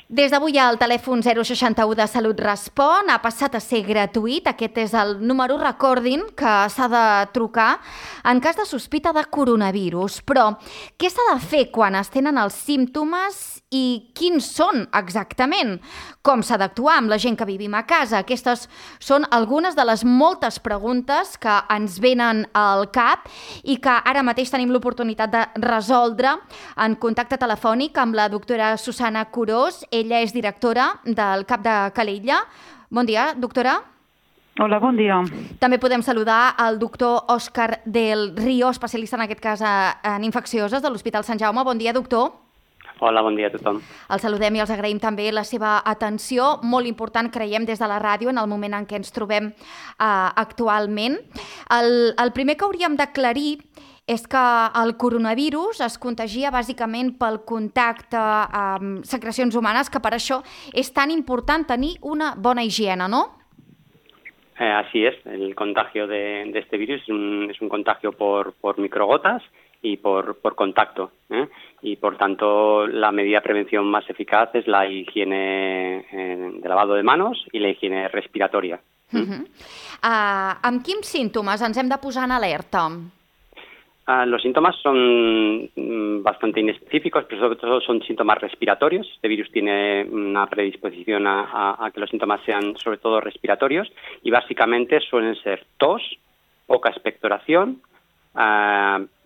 Des d'avui el telèfon 061 de Salut Respon ha passat a ser gratuït. Aquest és el número, recordin, que s'ha de trucar en cas de sospita de coronavirus. Però què s'ha de fer quan es tenen els símptomes i quins són exactament? Com s'ha d'actuar amb la gent que vivim a casa? Aquestes són algunes de les moltes preguntes que ens venen al cap i que ara mateix tenim l'oportunitat de resoldre en contacte telefònic amb la doctora Susana Curós. Ella és directora del CAP de Calella. Bon dia, doctora. Hola, bon dia. També podem saludar el doctor Òscar del Río, especialista en aquest cas en infeccioses de l'Hospital Sant Jaume. Bon dia, doctor. Hola, bon dia a tothom. Els saludem i els agraïm també la seva atenció, molt important, creiem, des de la ràdio en el moment en què ens trobem actualment. El primer que hauríem d'aclarir és que el coronavirus es contagia bàsicament pel contacte amb secrecions humanes, que per això és tan important tenir una bona higiene, ¿no? Así es, el contagio de este virus es un contagio por microgotas y por contacto, y por tanto la medida de prevención más eficaz es la higiene de lavado de manos y la higiene respiratoria. Amb quins símptomes ens hem de posar en alerta? Los síntomas son bastante inespecíficos, pero sobre todo son síntomas respiratorios. Este virus tiene una predisposición a que los síntomas sean sobre todo respiratorios y básicamente suelen ser tos, poca expectoración,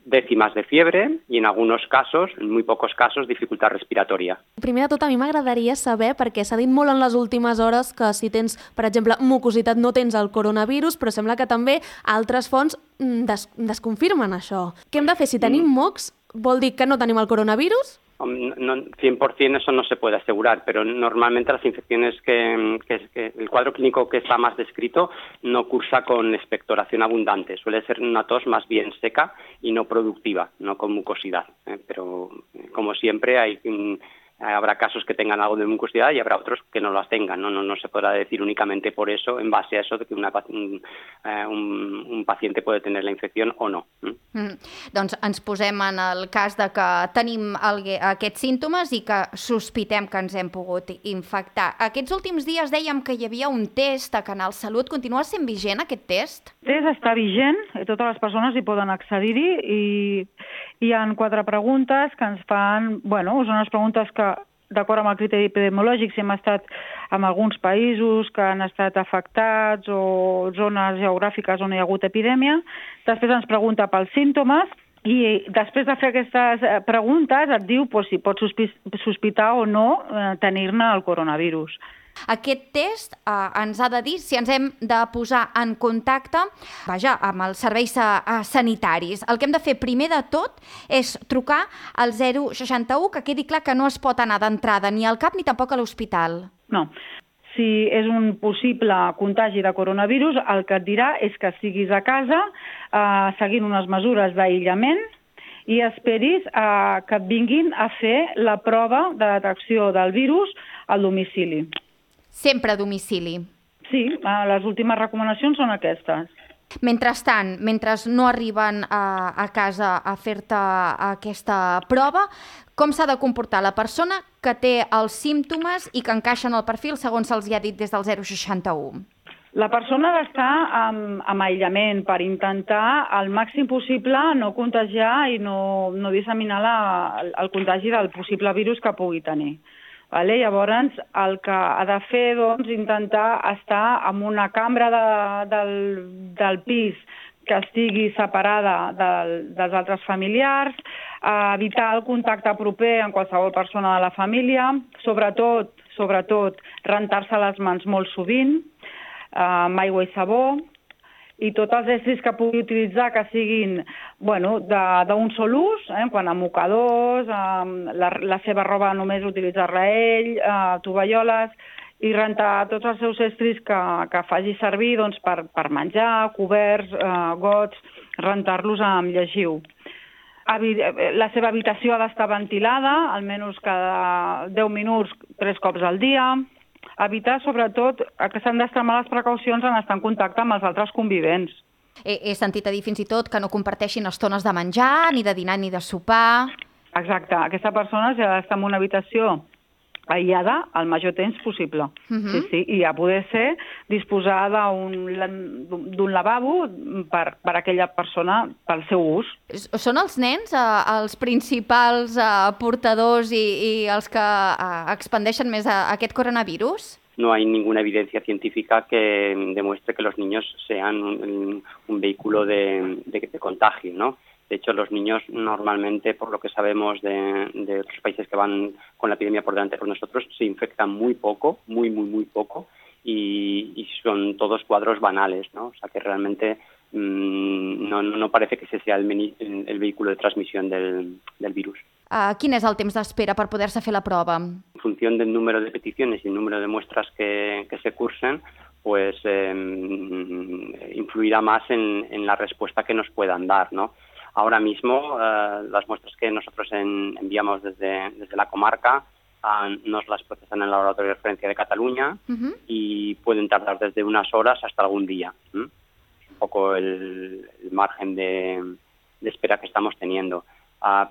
décimas de fiebre i en alguns casos, en muy pocos casos, dificultat respiratòria. Primer de tot, a mi m'agradaria saber, perquè s'ha dit molt en les últimes hores que si tens, per exemple, mucositat no tens el coronavirus, però sembla que també altres fonts desconfirmen això. Què hem de fer? Si tenim mocs, vol dir que no tenim el coronavirus? No, 100% eso no se puede asegurar, pero normalmente las infecciones que el cuadro clínico que está más descrito no cursa con expectoración abundante, suele ser una tos más bien seca y no productiva, no con mucosidad, pero como siempre habrá casos que tengan algo de mucosidad y habrá otros que no las tengan. No se podrá decir únicamente por eso, en base a eso, de que un paciente puede tener la infección o no. Doncs ens posem en el cas de que tenim aquests símptomes i que sospitem que ens hem pogut infectar. Aquests últims dies dèiem que hi havia un test a Canal Salut. Continua sent vigent aquest test? El test està vigent, totes les persones hi poden accedir-hi i hi ha 4 preguntes que ens fan... Són unes preguntes que, d'acord amb el criteri epidemiològic, si hem estat en alguns països que han estat afectats o zones geogràfiques on hi ha hagut epidèmia. Després ens pregunta pels símptomes i després de fer aquestes preguntes et diu si pots sospitar o no tenir-ne el coronavirus. Aquest test ens ha de dir si ens hem de posar en contacte amb els serveis sanitaris. El que hem de fer primer de tot és trucar al 061, que quedi clar que no es pot anar d'entrada ni al CAP ni tampoc a l'hospital. No. Si és un possible contagi de coronavirus, el que et dirà és que siguis a casa seguint unes mesures d'aïllament i esperis que et vinguin a fer la prova de detecció del virus al domicili. Sempre a domicili. Sí, les últimes recomanacions són aquestes. Mentrestant, mentre no arriben a casa a fer-te aquesta prova, com s'ha de comportar la persona que té els símptomes i que encaixen al perfil segons se'ls ha dit des del 061? La persona ha d'estar en aïllament per intentar al màxim possible no contagiar i no disseminar el contagi del possible virus que pugui tenir. Llavors, el que ha de fer és intentar estar en una cambra del pis que estigui separada dels altres familiars, evitar el contacte proper amb qualsevol persona de la família, sobretot rentar-se les mans molt sovint, amb aigua i sabó, i tots els estris que pugui utilitzar que siguin d'un sol ús, quan a mocadors, la seva roba només utilitzar-la ell, tovalloles, i rentar tots els seus estris que faci servir per menjar, coberts, gots, rentar-los amb llegiu. La seva habitació ha d'estar ventilada, almenys cada 10 minuts, 3 cops al dia. Evitar, sobretot, que s'han d'extremar les precaucions en estar en contacte amb els altres convivents. He sentit a dir fins i tot que no comparteixin estones de menjar, ni de dinar ni de sopar. Exacte. Aquesta persona, si ha d'estar en una habitació aïllada el major temps possible. Sí, i a poder ser disposar d'un lavabo per aquella persona pel seu ús. Són els nens els principals portadors i els que expandeixen més aquest coronavirus? No hay ninguna evidencia científica que demuestre que los niños sean un vehículo de contagio, ¿no? De hecho, los niños normalmente, por lo que sabemos de otros países que van con la epidemia por delante de nosotros, se infectan muy poco, muy poco, y son todos cuadros banales, ¿no? O sea que realmente no parece que ese sea el vehículo de transmisión del virus. Quin és el temps d'espera per poder-se fer la prova? En función del número de peticiones y el número de muestras que se cursen, pues influirá más en la respuesta que nos puedan dar, ¿no? Ahora mismo, las muestras que nosotros enviamos desde la comarca nos las procesan en el Laboratorio de Referencia de Cataluña y pueden tardar desde unas horas hasta algún día. Es un poco el margen de espera que estamos teniendo.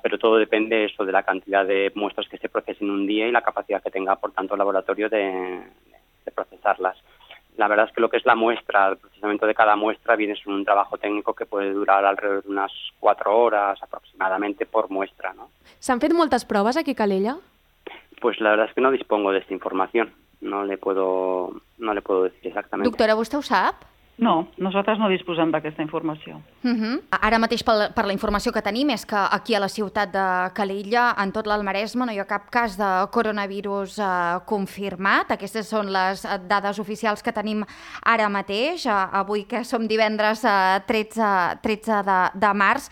Pero todo depende eso de la cantidad de muestras que se procesen un día y la capacidad que tenga, por tanto, el laboratorio de procesarlas. La verdad es que lo que es la muestra, el procesamiento de cada muestra viene siendo un trabajo técnico que puede durar alrededor de unas 4 horas aproximadamente por muestra, ¿no? ¿S'han fet moltes proves aquí a Calella? Pues la verdad es que no dispongo de esta información. No le puedo decir exactamente. Doctora, vostè ho sap? No, nosaltres no disposem d'aquesta informació. Ara mateix, per la informació que tenim, és que aquí a la ciutat de Calella, en tot l'Alt Maresme, no hi ha cap cas de coronavirus confirmat. Aquestes són les dades oficials que tenim ara mateix, avui que som divendres 13 de març.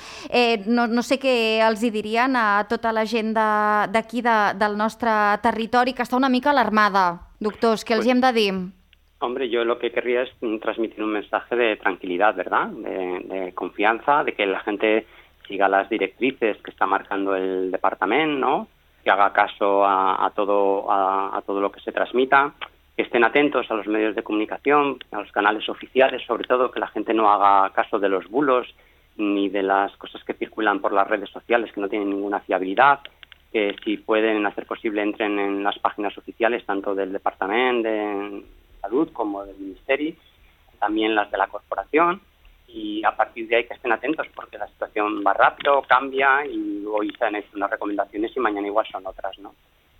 No sé què els hi dirien a tota la gent d'aquí, del nostre territori, que està una mica alarmada. Doctors, què els hi hem de dir? Hombre, yo lo que querría es transmitir un mensaje de tranquilidad, ¿verdad? De confianza, de que la gente siga las directrices que está marcando el departamento, ¿no? Que haga caso a todo lo que se transmita, que estén atentos a los medios de comunicación, a los canales oficiales, sobre todo que la gente no haga caso de los bulos ni de las cosas que circulan por las redes sociales que no tienen ninguna fiabilidad, que si pueden hacer posible entren en las páginas oficiales tanto del departamento de Salud como del Ministerio, también las de la corporación, y a partir de ahí que estén atentos porque la situación va rápido, cambia y hoy se han hecho unas recomendaciones y mañana igual son otras, ¿no?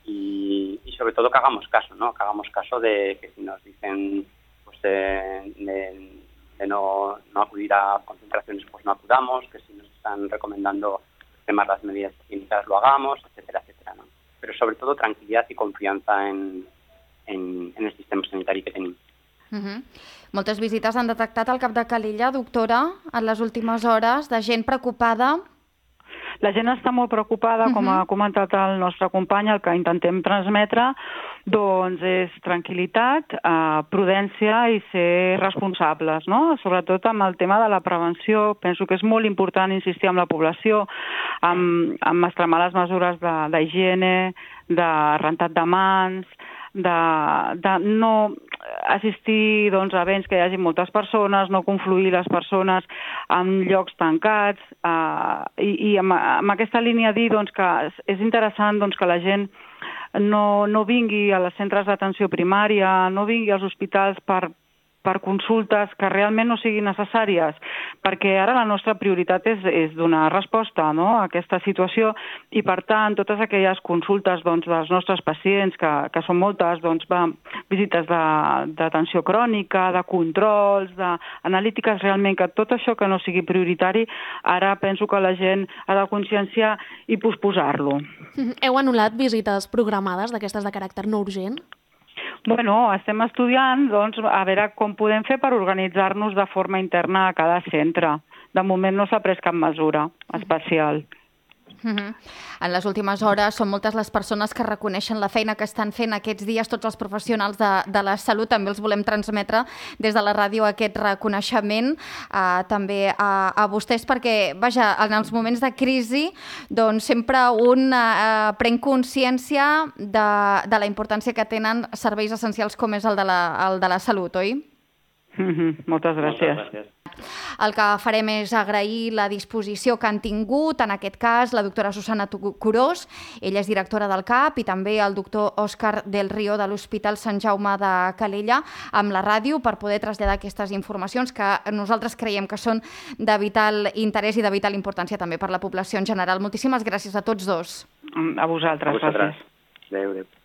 Y sobre todo que hagamos caso, ¿no? Que hagamos caso de que si nos dicen pues de no acudir a concentraciones, pues no acudamos, que si nos están recomendando extremar las medidas higiénicas lo hagamos, etcétera, etcétera, ¿no? Pero sobre todo tranquilidad y confianza en el sistema sanitari que tenim. Moltes visites han detectat al cap de Calella, doctora, en les últimes hores, de gent preocupada. La gent està molt preocupada, com ha comentat el nostre company, el que intentem transmetre doncs és tranquil·litat, prudència i ser responsables, no? Sobretot amb el tema de la prevenció. Penso que és molt important insistir amb la població, amb extremar les mesures d'higiene, de rentat de mans, de no assistir doncs, a events que hi hagi moltes persones, no confluir les persones en llocs tancats, i amb aquesta línia dir doncs, que és interessant doncs, que la gent no vingui als centres d'atenció primària, no vingui als hospitals per consultes que realment no siguin necessàries, perquè ara la nostra prioritat és donar resposta, no?, a aquesta situació, i per tant totes aquelles consultes doncs, dels nostres pacients, que són moltes, doncs, visites d'atenció crònica, de controls, d'analítiques, realment que tot això que no sigui prioritari, ara penso que la gent ha de conscienciar i posposar-lo. Heu anul·lat visites programades d'aquestes de caràcter no urgent? Bueno, estem estudiant doncs, a veure com podem fer per organitzar-nos de forma interna a cada centre. De moment no s'ha pres cap mesura especial. En les últimes hores són moltes les persones que reconeixen la feina que estan fent aquests dies tots els professionals de la salut. També els volem transmetre des de la ràdio aquest reconeixement també a vostès, perquè, vaja, en els moments de crisi doncs sempre un pren consciència de la importància que tenen serveis essencials com és el de la salut, oi? Moltes gràcies. El que farem és agrair la disposició que han tingut, en aquest cas, la doctora Susana Curós, ella és directora del CAP, i també el doctor Òscar del Río de l'Hospital Sant Jaume de Calella, amb la ràdio, per poder traslladar aquestes informacions que nosaltres creiem que són de vital interès i de vital importància també per la població en general. Moltíssimes gràcies a tots dos. A vosaltres. Gràcies. Adéu.